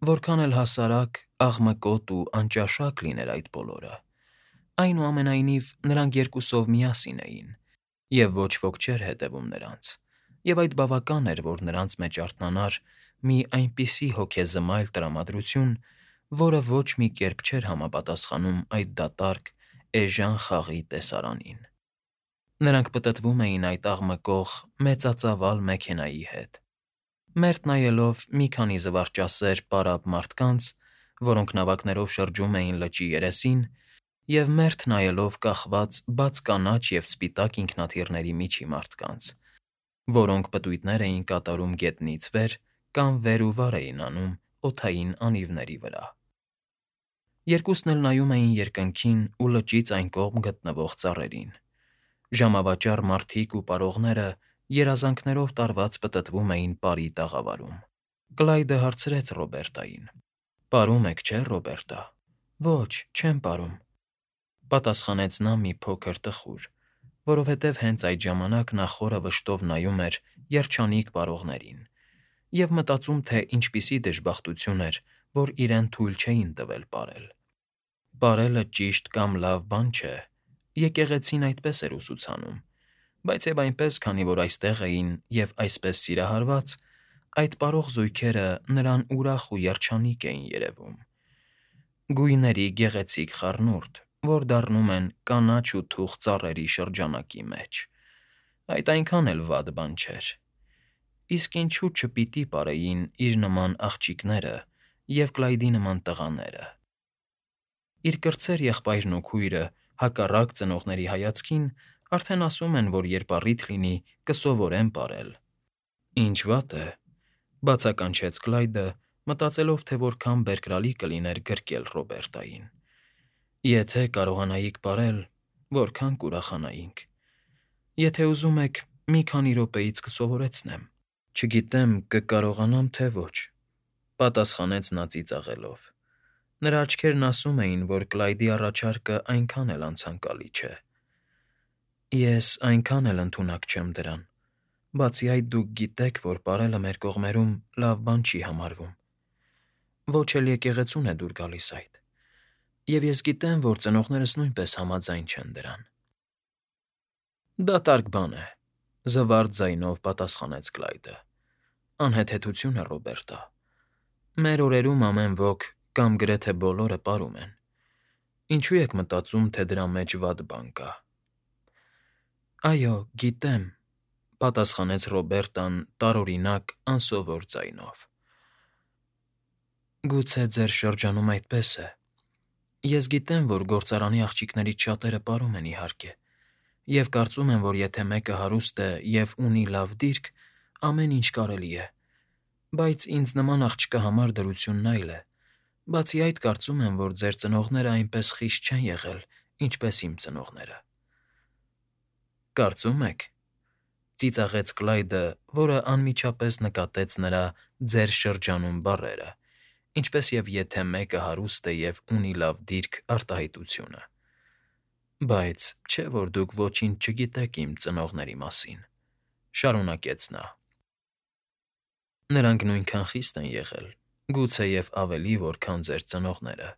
Որքան էլ հասարակ, աղմկոտ ու անճաշակ լիներ այդ բոլորը, այնուամենայնիվ նրանք երկուսով միասին էին, և ոչ ոք չէր հետևում նրանց, և այդ բավական էր, որ նրանց մեջ արթնանար մի այնպիսի հոգեզմայլ տրամադրություն, որը ոչ մի կերպ չէր համապատասխանում այդ դատարկ, էժան խաղի տեսարանին։ Նրանք պտտվում էին այդ աղմկող, մեծածավալ մեքենայի հետ, մերթ նայելով մի քանի զվարճասեր պարապ մարդկանց, որոնք նավակներով շրջում էին լճի երեսին, և մերթ նայելով կախված բաց կանաչ և սպիտակ ինքնաթիռների միջի մարդկանց, որոնք պտույտներ էին կատարում գետնից վեր կամ վեր ու վար էին անում օդային անիվների վրա։ Երկուսն էլ նայում էին երկնքին ու լճից այն կողմ գտնվող ծառերին։ Ժամավաճառ մարդիկ ու պարողները երազանքներով տարված պտտվում էին պարի տաղավարում։ Կլայդը հարցրեց Ռոբերտային. «Պարում եք, չէ՞, Ռոբերտա»։ «Ոչ, չեմ պարում», պատասխանեց նա մի փոքր տխուր, որովհետև հենց այդ ժամանակ նա խորը վշտով նայում էր երջանիկ պարողներին և մտածում, թե ինչպիսի դժբախտություն էր, որ իրեն թույլ չէին տվել պարել։ Պարելը ճիշտ կամ լավ բան չէ, եկեղեցին այդպես էր ուսուցանում, բայց և այնպես, քանի որ այստեղ էին և այսպես սիրահարված, այդ պարող զույգերը նրան ուրախ ու երջանիկ էին երևում։ Գույների գեղեցիկ խառնուրդ, որ դառնում են կանաչ ու թուխ ծառերի շրջանակի մեջ։ Այդ այնքան էլ վատ բան չէր։ Իսկ ինչու՞ չպիտի պարեին իր նման աղջիկները և Կլայդի նման տղաները։ Իր կրտսեր եղբայրն ու քույրը, հակառակ ծնողների հայացքին, արդեն ասում են, որ երբ առիթ լինի, կսովորեն պարել։ «Ինչ վատ է», բացականչեց Կլայդը, մտածելով, թե որքան բերկրալի կլիներ գրկել Ռոբերտային։ «Եթե կարողանայիք պարել, որքան կուրախանայինք։ Եթե ուզում եք, մի քանի րոպեից կսովորեցնեմ»։ «Չգիտեմ՝ կկարողանամ, թե ոչ», պատասխանեց նա ծիծաղելով։ Նրա աչքերն ասում էին, որ Կլայդի առաջարկը այնքան էլ անցանկալի չէ։ «Ես այնքան էլ ընդունակ չեմ դրան։ Բացի այդ, դուք գիտեք, որ պարելը մեր կողմերում լավ բան չի համարվում։ Ոչ էլ եկեղեցուն է դուր գալիս այդ։ Եվ ես գիտեմ, որ ծնողներս նույնպես համաձայն չեն դրան»։ «Դատարկ բան է», զվարթ ձայնով պատասխանեց Կլայդը։ «Անհեթեթություն է, Ռոբերտա։ Մեր օրերում ամեն ոք կամ գրեթե բոլորը պարում են։ Ինչո՞ւ եք մտածում, թե դրա մեջ վատ բան կա»։ «Այո, գիտեմ», պատասխանեց Ռոբերտան տարօրինակ, անսովոր ձայնով։ «Գուցե ձեր շրջանում այդպես է։ Ես գիտեմ, որ գործարանի աղջիկներից շատերը պարում են, իհարկե, և կարծում են, որ եթե մեկը հարուստ է և ունի լավ դիրք, ամեն ինչ կարելի է։ Բայց ինձ նման աղջկա համար դրությունն այլ է։ Բացի այդ, կարծում եմ, որ ձեր ծնողները այնպես խիստ չեն եղել, ինչպես իմ ծնողները»։ «Կարծում եք», ծիծաղեց Կլայդը, որը անմիջապես նկատեց նրա «ձեր շրջանում» բառերը, ինչպես և «եթե մեկը հարուստ է և ունի լավ դիրք» արտահայտությունը։ «Բայց չէ՞ որ դուք ոչինչ չգիտեք իմ ծնողների մասին», շարունակեց նա։ «Նրանք նույնքան խիստ են եղել, գուցեև ավելի, որքան ձեր ծնողները։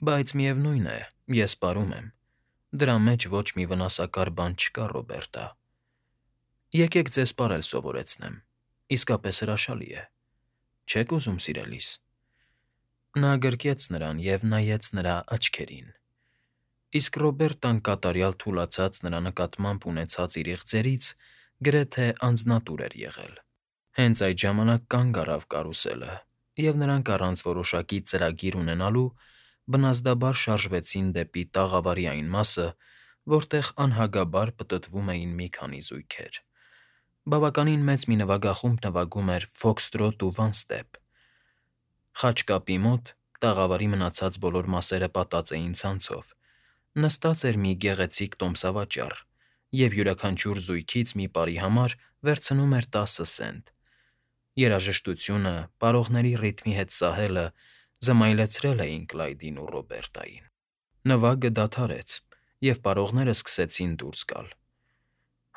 Բայց միևնույն է, ես պարում եմ։ Դրա մեջ ոչ մի վնասակար բան չկա, Ռոբերտա։ Եկեք ձեզ պարել սովորեցնեմ, իսկապես հրաշալի է։ Չե՞ք ուզում, սիրելիս»։ Նա գրկեց նրան և նայեց նրա աչքերին։ Իսկ Ռոբերտան կատարյալ թուլացած նրա նկատմամբ ունեցած իր իղձերից գրեթե անձնատուր էր եղել։ Հենց այդ ժամանակ կանգ առավ կարուսելը, և նրանք առանց որոշակի ծրագիր ունենալու բնազդաբար շարժվեցին դեպի տաղավարի այն մասը, որտեղ անհագաբար պտտվում էին մի քանի զույգեր։ Բավականին մեծ մի նվագախումբ նվագում էր ֆոքսթրոտ ու վանստեպ։ Խաչկապի մոտ տաղավարի մնացած բոլոր մասերը պատած էին ցանցով, նստած էր մի գեղեցիկ տոմսավաճառ, և յուրաքանչյուր զույգից մի պարի համար վերցնում էր 10 սենտ։ Երաժշտությունը, պարողների ռիթմի հետ սահելը զմայլեցրել էին Կլայդին ու Ռոբերտային։ Նվագը դադարեց, և պարողները սկսեցին դուրս գալ։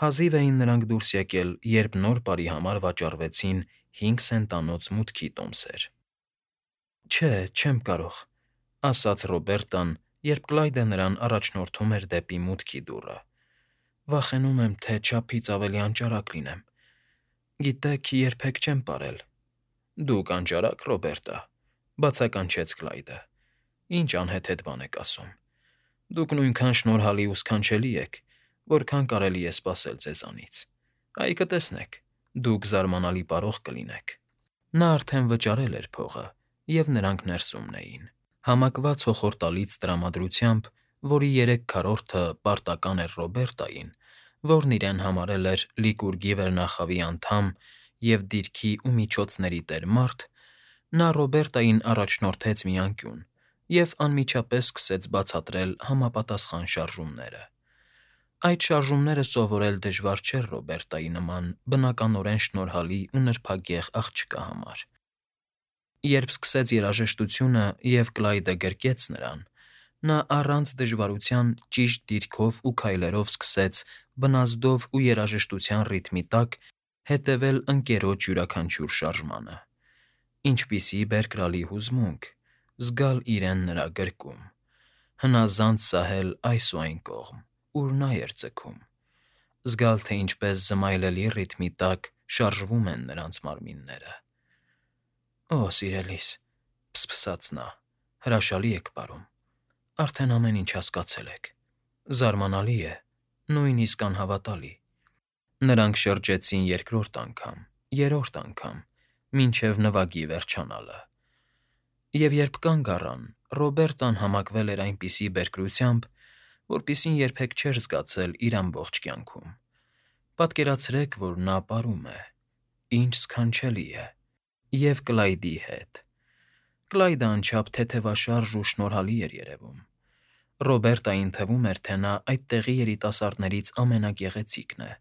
Հազիվ էին նրանք դուրս եկել, երբ նոր պարի համար վաճառվեցին 5 սենտանոց մուտքի տոմսեր։ Չէ, չեմ կարող, ասաց Ռոբերտան, երբ Կլայդը նրան առաջնորդում էր դեպի մուտքի դուռը։ Վախենում եմ, թե չափից ավելի անճարակ լինեմ։ Գիտեք, երբեք չեմ ապրել։ Դուք անճարակ, Ռոբերտա, բացականչեց Կլայդը։ Ինչ անհեթեթ բան եք ասում։ Դուք նույնքան շնորհալի ու սքանչելի եք, որքան կարելի է սպասել ձեզանից։ Այ կտեսնեք, դուք զարմանալի պարող կլինեք։ Նա արդեն վճարել էր փողը, և նրանք ներսումն էին։ Համակված հոխորտալից տրամադրությամբ, որի 3/4-ը պարտական էր Ռոբերտային, որն իրեն համարել էր Լիկուրգի վերնախավի անդամ և դիրքի ու միջոցների տեր մարդ, նա Ռոբերտային առաջնորդեց մի անկյուն և անմիջապես սկսեց բացատրել համապատասխան շարժումները։ Այդ շարժումները սովորել դժվար չէր Ռոբերտայի նման բնականորեն շնորհալի ու նրբագեղ աղջկա համար։ Երբ սկսեց երաժշտությունը և Կլայդը գրկեց նրան, նա առանց դժվարության ճիշտ դիրքով ու քայլերով սկսեց բնազդով ու երաժշտության ռիթմի տակ հետևել ընկերոջ յուրաքանչյուր շարժմանը։ Ինչպիսի բերկրալի հուզմունք զգալ իրեն նրա գրկում, հնազանդ սահել այս ու այն կողմ, ուր նա էր ձգում, զգալ, թե ինչպես զմայլելի ռիթմի տակ շարժվում են նրանց մարմինները։ «Օ, սիրելիս», փսփսաց նա, «հրաշալի եք պարում, արդեն ամեն ինչ հասկացել եք։ Զարմանալի է, նույնիսկ անհավատալի»։ Նրանք շրջեցին երկրորդ անգամ, երրորդ անգամ, մինչև նվագի վերջանալը։ Եվ երբ կանգ առան, Ռոբերտան համակվել էր այնպիսի բերկրությամբ, որպիսին երբեք չէր զգացել իր ամբողջ կյանքում։ Պատկերացրեք, որ նա պարում է։ Ինչ սքանչելի է։ Եվ Կլայդի հետ։ Կլայդը անչափ թեթևաշարժ ու շնորհալի էր երևում։ Ռոբերտային թվում էր, թե նա այդ տեղի երիտասարդներից ամենագեղեցիկն է,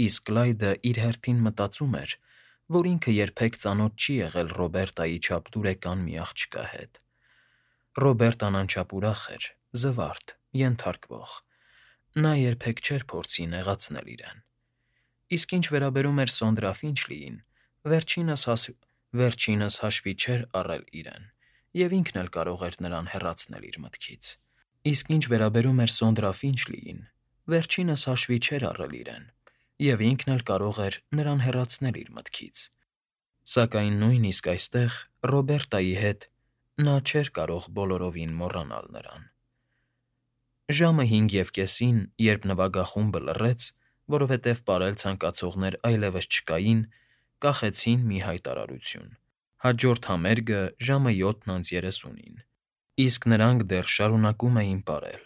իսկ Կլայդը իր հերթին մտածում էր, որ ինքը երբեք ծանոթ չի եղել Ռոբերտայի չափ դուրեկան մի աղջկա հետ։ Ռոբերտան անչափ ուրախ էր, զվարթ, ենթարկվող։ Նա երբեք չէր փորձի նեղացնել իրեն։ Իսկ ինչ վերաբերում էր Սոնդրա Ֆինչլիին, վերջինս հաշվի չէր առել իրեն, և ինքն էլ կարող էր նրան հեռացնել իր մտքից։ Իսկ ինչ վերաբերում էր Սոնդրա Ֆինչլիին, վերջինս հաշվի չէր առել իրեն, և ինքն էլ կարող էր նրան հեռացնել իր մտքից։ Սակայն նույնիսկ այստեղ, Ռոբերտայի հետ, նա չէր կարող բոլորովին մոռանալ նրան։ Ժամը 5:30, երբ նվագախումբը լռեց, որովհետև պարել ցանկացողներ այլևս չկային, կախեցին մի հայտարարություն։ Հաջորդ համերգը ժամը 7:30-ին, իսկ նրանք դեռ շարունակում էին պարել։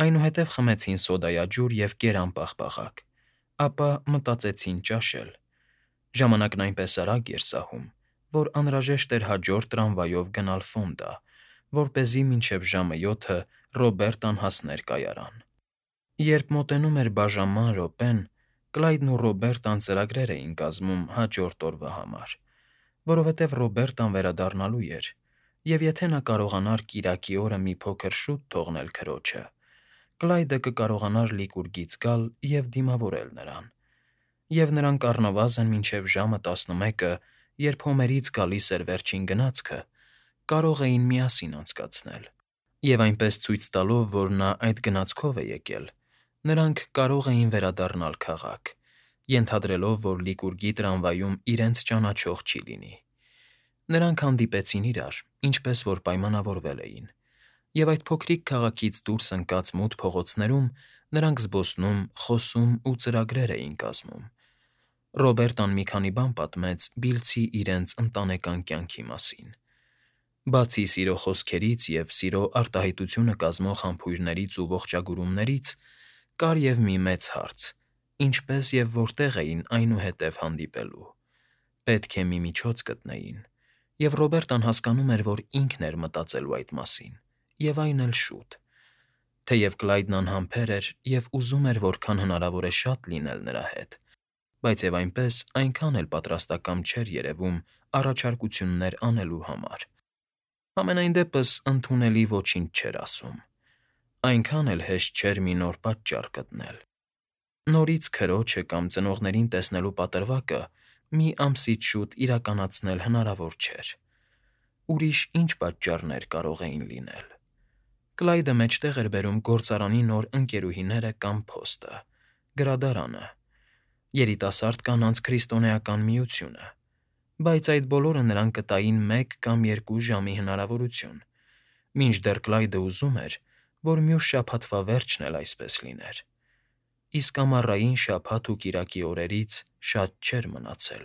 Այնուհետև խմեցին սոդայաջուր և կերամ պաղպաղակ, ապա մտածեցին ճաշել։ Ժամանակն այնպես արագ էր սահում, որ անհրաժեշտ էր հաջորդ տրամվայով գնալ Ֆոնդա, որպեսզի մինչև ժամը 7-ը Ռոբերտան հասներ կայարան։ Երբ մոտենում էր բաժանման րոպեն, Կլայդն ու Ռոբերտան ծրագրեր էին կազմում հաջորդ օրվա համար, որովհետև Ռոբերտան վերադառնալու էր, և եթե նա կարողանար կիրակի օրը մի փոքր շուտ թողնել քրոջը, Կլայդը կկարողանար Լիկուրգից գալ և դիմավորել նրան, և նրանք առնվազն մինչև ժամը 11-ը, երբ Հոմերից գալիս էր վերջին գնացքը, կարող էին միասին անցկացնել, և այնպես ցույց տալով, որ նա այդ գնացքով է եկել, նրանք կարող էին վերադառնալ քաղաք, ենթադրելով, որ Լիկուրգի տրամվայում իրենց ճանաչող չի լինի։ Նրանք հանդիպեցին իրար, ինչպես որ պայմանավորվել էին, և այդ փոքրիկ քաղաքից դուրս ընկած մութ փողոցներում նրանք զբոսնում, խոսում ու ծրագրեր էին կազմում։ Ռոբերտան մի քանի բան պատմեց Բիլցի իրենց ընտանեկան կյանքի մասին։ Բացի սիրո խոսքերից և սիրո արտահայտությունը կազմող համբույրներից ու ողջագուրումներից, կար և մի մեծ հարց. ինչպես և որտեղ էին այնուհետև հանդիպելու։ Պետք է մի միջոց գտնեին, և Ռոբերտան հասկանում էր, որ ինքն էր մտածելու այդ մասին, և այն էլ շուտ։ Թեև Կլայդն անհամբեր էր և ուզում էր որքան հնարավոր է շատ լինել նրա հետ, բայց և այնպես այնքան էլ պատրաստակամ չէր երևում առաջարկություններ անելու համար։ Համենայն դեպս ընդունելի ոչինչ չէր ասում։ Այնքան էլ հեշտ չէր մի նոր պատճառ գտնել։ Նորից քրոջը կամ ծնողներին տեսնելու պատրվակը մի ամսից շուտ իրականացնել հնարավոր չէր։ ուրիշ ինչ պատճառներ կարող էին լինել։ Կլայդը մեջտեղ էր բերում գործարանի նոր ընկերուհիները կամ փոստը, գրադարանը, երիտասարդ կանանց քրիստոնեական միությունը, բայց այդ բոլորը նրան կտային 1 կամ 2 ժամի հնարավորություն, մինչդեռ Կլայդը ուզում էր, որ մյուս շաբաթվա վերջն էլ այսպես լիներ։ Իսկ ամառային շաբաթ ու կիրակի օրերից շատ չէր մնացել։